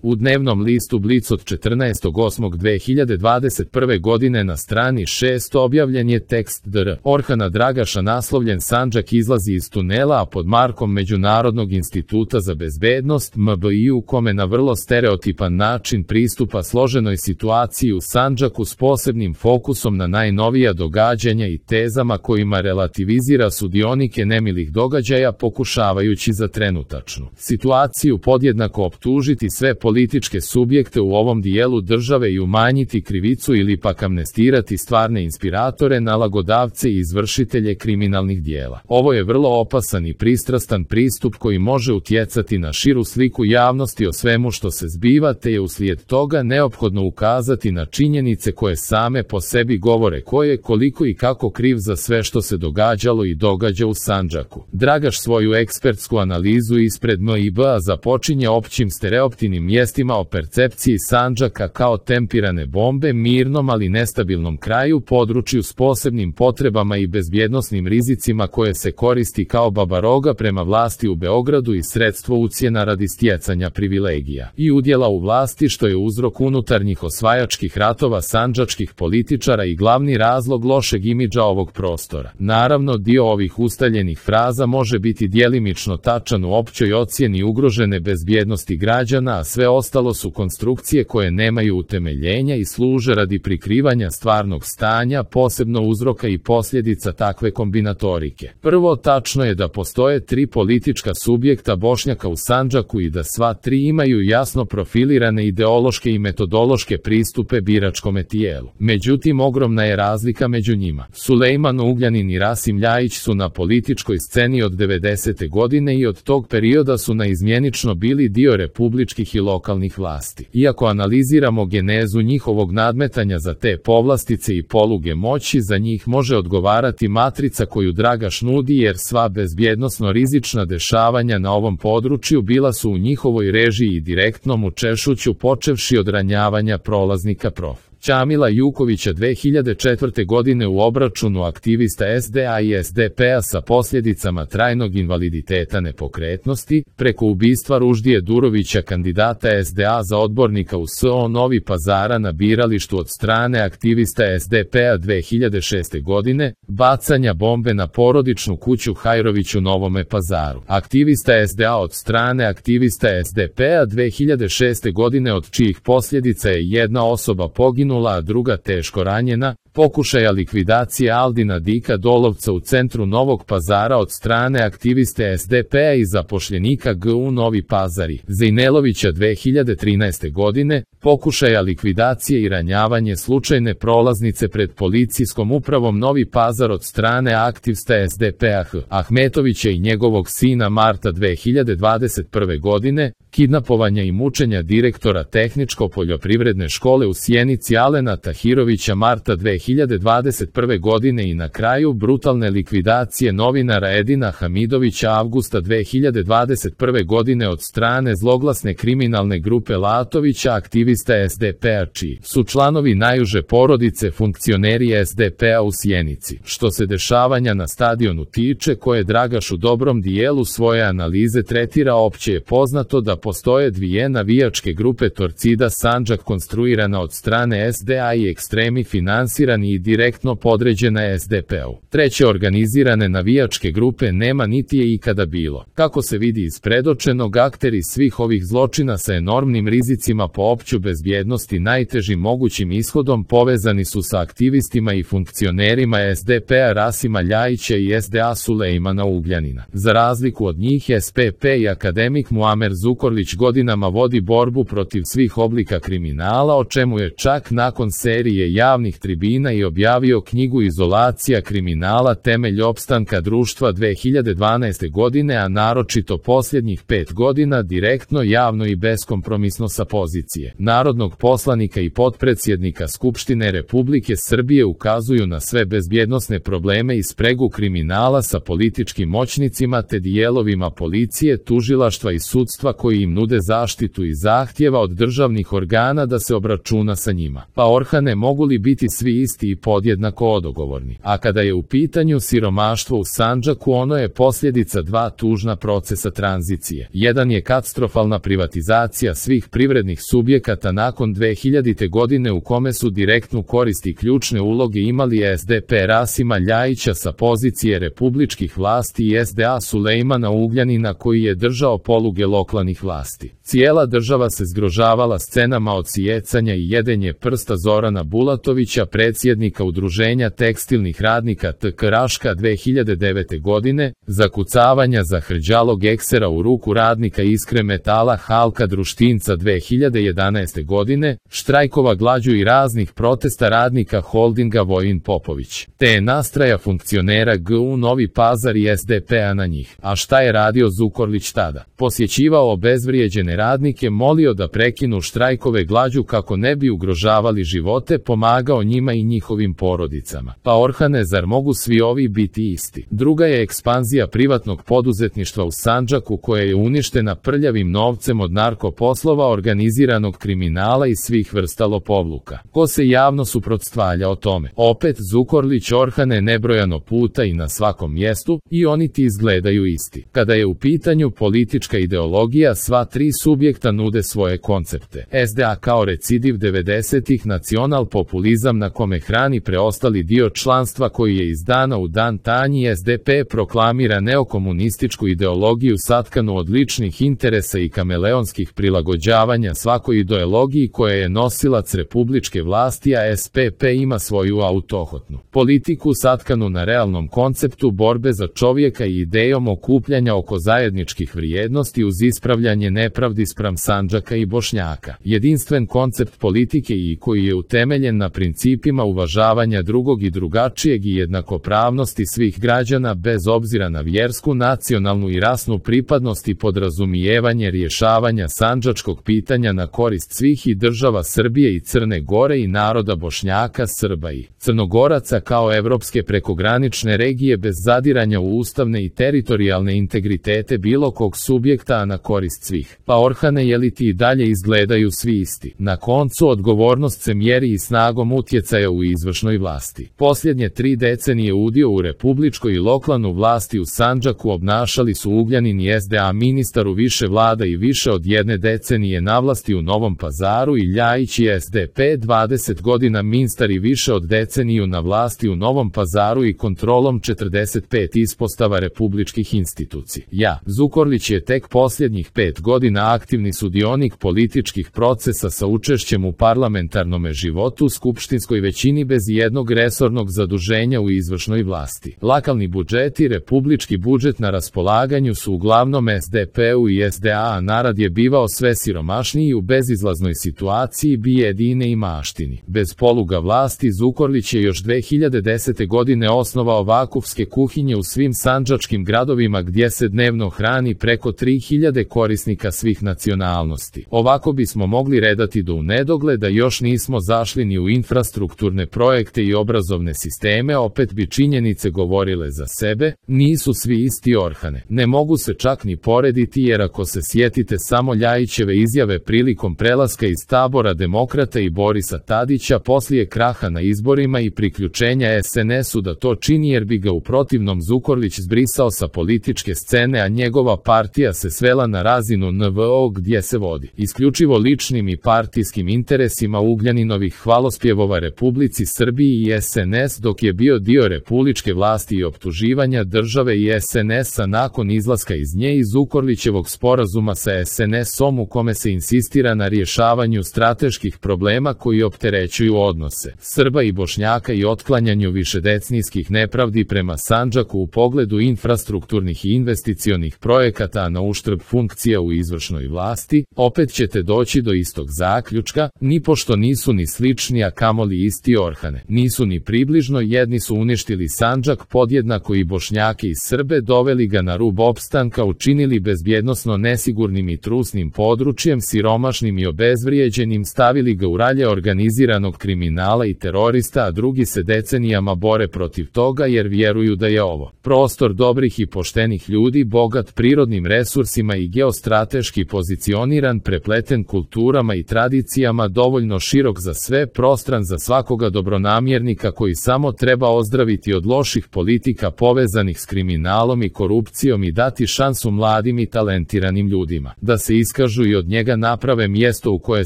U dnevnom listu Blic od 14.8.2021. godine na strani 6 objavljen je tekst Dr. Orhana Dragaša naslovljen Sandžak izlazi iz tunela, a pod markom Međunarodnog instituta za bezbednost MBI, u kome na vrlo stereotipan način pristupa složenoj situaciji u Sandžaku s posebnim fokusom na najnovija događanja i tezama kojima relativizira sudionike nemilih događaja, pokušavajući za trenutačnu situaciju podjednako optužiti sve političke subjekte u ovom dijelu države i umanjiti krivicu ili pak amnestirati stvarne inspiratore, nalagodavce i izvršitelje kriminalnih dijela. Ovo je vrlo opasan i pristrastan pristup koji može utjecati na širu sliku javnosti o svemu što se zbiva, te je uslijed toga neophodno ukazati na činjenice koje same po sebi govore ko je, koliko i kako kriv za sve što se događalo i događa u Sandžaku. Dragaš svoju ekspertsku analizu ispred MIB-a započinje općim stereotipnim mjestima o percepciji Sandžaka kao tempirane bombe, mirnom ali nestabilnom kraju, području s posebnim potrebama i bezbjednosnim rizicima koje se koristi kao babaroga prema vlasti u Beogradu i sredstvo ucjena radi stjecanja privilegija i udjela u vlasti, što je uzrok unutarnjih osvajačkih ratova sandžačkih političara i glavni razlog lošeg imidža ovog prostora. Naravno, dio ovih ustaljenih fraza može biti djelimično tačan u općoj ocjeni ugrožene bezbjednosti građana, a sve ostalo su konstrukcije koje nemaju utemeljenja i služe radi prikrivanja stvarnog stanja, posebno uzroka i posljedica takve kombinatorike. Prvo, tačno je da postoje tri politička subjekta Bošnjaka u Sandžaku i da sva tri imaju jasno profilirane ideološke i metodološke pristupe biračkome tijelu. Međutim, ogromna je razlika među njima. Sulejman Ugljanin i Rasim Ljajić su na političkoj sceni od 90. godine i od tog perioda su naizmjenično bili dio republičkih i lokalnih vlasti. Iako analiziramo genezu njihovog nadmetanja za te povlastice i poluge moći, za njih može odgovarati matrica koju Dragaš nudi, jer sva bezbjednosno rizična dešavanja na ovom području bila su u njihovoj režiji i direktnom učešuću, počevši od ranjavanja prolaznika prof. Ćamila Jukovića 2004. godine u obračunu aktivista SDA i SDP-a sa posljedicama trajnog invaliditeta nepokretnosti, preko ubistva Ruždije Durovića, kandidata SDA za odbornika u SO Novi Pazara na biralištu od strane aktivista SDP-a 2006. godine, bacanja bombe na porodičnu kuću Hajrović u Novome Pazaru. Aktivista SDA od strane aktivista SDP-a 2006. godine, od čijih posljedica je jedna osoba poginula, a druga teško ranjena, pokušaja likvidacije Aldina Dika Dolovca u centru Novog Pazara od strane aktiviste SDP-a i zapošljenika GU Novi Pazari, Zejnelovića 2013. godine, pokušaja likvidacije i ranjavanje slučajne prolaznice pred policijskom upravom Novi Pazar od strane aktivista SDP-a Ahmetovića i njegovog sina Marta 2021. godine, kidnapovanja i mučenja direktora Tehničko-poljoprivredne škole u Sjenici Alena Tahirovića Marta 2021. godine i na kraju brutalne likvidacije novinara Edina Hamidovića avgusta 2021. godine od strane zloglasne kriminalne grupe Latovića, aktivista SDP-a čiji su članovi najuže porodice funkcioneri SDP-a u Sjenici. Što se dešavanja na stadionu tiče, koje Dragaš u dobrom dijelu svoje analize tretira, opće je poznato da postoje dvije navijačke grupe Torcida Sandžak, konstruirana od strane SDA i ekstremi finansirani i direktno podređena SDP-u. Treće organizirane navijačke grupe nema niti je ikada bilo. Kako se vidi iz predočenog, akteri svih ovih zločina sa enormnim rizicima po opću bezbjednost i najtežim mogućim ishodom povezani su sa aktivistima i funkcionerima SDP-a Rasima Ljajića i SDA Sulejmana Ugljanina. Za razliku od njih, SPP i akademik Muamer Zukorlić godinama vodi borbu protiv svih oblika kriminala, o čemu je čak nakon serije javnih tribina i objavio knjigu Izolacija kriminala, temelj opstanka društva 2012. godine, a naročito posljednjih 5 godina direktno, javno i beskompromisno sa pozicije narodnog poslanika i potpredsjednika Skupštine Republike Srbije ukazuju na sve bezbjednosne probleme i spregu kriminala sa političkim moćnicima te dijelovima policije, tužilaštva i sudstva koji im nude zaštitu i zahtjeva od državnih organa da se obračuna sa njima. Pa Orhane, mogu li biti svi isti i podjednako odgovorni. A kada je u pitanju siromaštvo u Sandžaku, ono je posljedica dva tužna procesa tranzicije. Jedan je katastrofalna privatizacija svih privrednih subjekata nakon 2000. godine u kome su direktnu korist i ključne uloge imali SDP Rasima Ljajića sa pozicije republičkih vlasti i SDA Sulejmana Ugljanina koji je držao poluge lokalnih vlasti. Cijela država se zgrožavala scenama odsijecanja i jedenje prsta Zorana Bulatovića, predsjednika Udruženja tekstilnih radnika TK Raška 2009. godine, zakucavanja za hrđalog eksera u ruku radnika Iskre metala Halka Društinca 2011. godine, štrajkova glađu i raznih protesta radnika holdinga Vojin Popović, te nastraja funkcionera GU Novi Pazar i SDP-a na njih. A šta je radio Zukorlić tada? Posjećivao obezvrijeđene radnike, molio da prekinu štrajkove glađu kako ne bi ugrožavali živote, pomagao njima i njihovim porodicama. Pa Orhane, zar mogu svi ovi biti isti? Druga je ekspanzija privatnog poduzetništva u Sandžaku koja je uništena prljavim novcem od narkoposlova, organiziranog kriminala i svih vrsta lopovluka. Ko se javno suprotstavlja o tome? Opet Zukorlić, Orhane, nebrojano puta i na svakom mjestu, i oni ti izgledaju isti. Kada je u pitanju politička ideologija, sva tri subjekta nude svoje koncepte. SDA kao recidiv 90-ih, nacional-populizam na kome hrani preostali dio članstva koji je iz dana u dan tanji. SDP proklamira neokomunističku ideologiju satkanu od ličnih interesa i kameleonskih prilagođavanja svakoj ideologiji koja je nosilac republičke vlasti, a SPP ima svoju autohotnu politiku satkanu na realnom konceptu borbe za čovjeka i idejom okupljanja oko zajedničkih vrijednosti uz ispravljanje nepravdi spram Sandžaka i Bošnjaka. Jedinstven koncept politike i koji je utemeljen na principima uvažavanja drugog i drugačijeg i jednakopravnosti svih građana bez obzira na vjersku, nacionalnu i rasnu pripadnost i podrazumijevanje rješavanja sandžačkog pitanja na korist svih i država Srbije i Crne Gore i naroda Bošnjaka, Srba i Crnogoraca kao evropske prekogranične regije bez zadiranja u ustavne i teritorijalne integritete bilo kog subjekta, a na korist svih. Pa Orhane, je li ti i dalje izgledaju svi isti? Na koncu, odgovornost se mjeri i snagom utjecaja u izvršnoj vlasti. Posljednje 3 decenije udio u republičkoj i lokalnu vlasti u Sandžaku obnašali su Ugljanin i SDA ministar u više vlada i više od 1 decenije na vlasti u Novom Pazaru i Ljajić i SDP 20 godina ministar i više od deceniju na vlasti u Novom Pazaru i kontrolom 45 ispostava republičkih institucija. Zukorlić je tek posljednjih 5 godina aktivni sudionik političkih procesa sa učešćem u parlamentarnome životu, skupštinskoj većini bez jednog resornog zaduženja u izvršnoj vlasti. Lokalni budžet i republički budžet na raspolaganju su uglavnom SDP-u i SDA, a narod je bivao sve siromašniji u bezizlaznoj situaciji, bijedine i maštini. Bez poluga vlasti Zukorlić je još 2010. godine osnovao vakufske kuhinje u svim sandžačkim gradovima gdje se dnevno hrani preko 3000 korisnika svih nacionalnosti. Ovako bismo mogli redati do u nedogled, da još nismo zašli ni u infrastrukturne projekte i obrazovne sisteme, opet bi činjenice govorile za sebe, nisu svi isti Orhane. Ne mogu se čak ni porediti, jer ako se sjetite samo Ljajićeve izjave prilikom prelaska iz tabora Demokrata i Borisa Tadića poslije kraha na izborima i priključenja SNS-u da to čini jer bi ga u protivnom Zukorlić zbrisao sa političke scene, a njegova partija se svela na razinu NVO gdje se vodi isključivo ličnim i partijskim interesima Ugljaninovih hvalospjevova Republici Srbiji i SNS dok je bio dio republičke vlasti i optuživanja države i SNS-a nakon izlaska iz nje i Zukorlićevog sporazuma sa SNS-om u kome se insistira na rješavanju strateških problema koji opterećuju odnose Srba i Bošnjaka i otklanjanju višedecenijskih nepravdi prema Sandžaku u pogledu infrastrukturnih i investicionih projekata na uštrb funkcija u izvršnoj vlasti, opet ćete doći do istog zaključka, nipošto nisu ni slični, a kamoli isti Orhane. Nisu ni približno, jedni su uništili Sandžak podjednako i Bošnjake i Srbe, doveli ga na rub opstanka, učinili bezbjednosno nesigurnim i trusnim područjem, siromašnim i obezvrijeđenim, stavili ga u ralje organiziranog kriminala i terorista, a drugi se decenijama bore protiv toga jer vjeruju da je ovo prostor dobrih i poštenih ljudi, bogat prirodnim resursima i geostrateški pozicioniran, prepleten kulturama i tradicijama, dovoljno širok za sve, prostran za svakog pravoga dobronamjernika koji samo treba ozdraviti od loših politika povezanih s kriminalom i korupcijom i dati šansu mladim i talentiranim ljudima, da se iskažu i od njega naprave mjesto u koje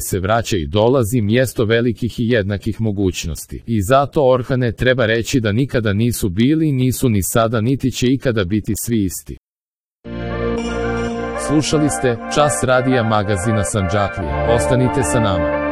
se vraća i dolazi, mjesto velikih i jednakih mogućnosti. I zato, Orhane, treba reći da nikada nisu bili, nisu ni sada, niti će ikada biti svi isti. Slušali ste Čas radija magazina Sandžaklija. Ostanite sa nama.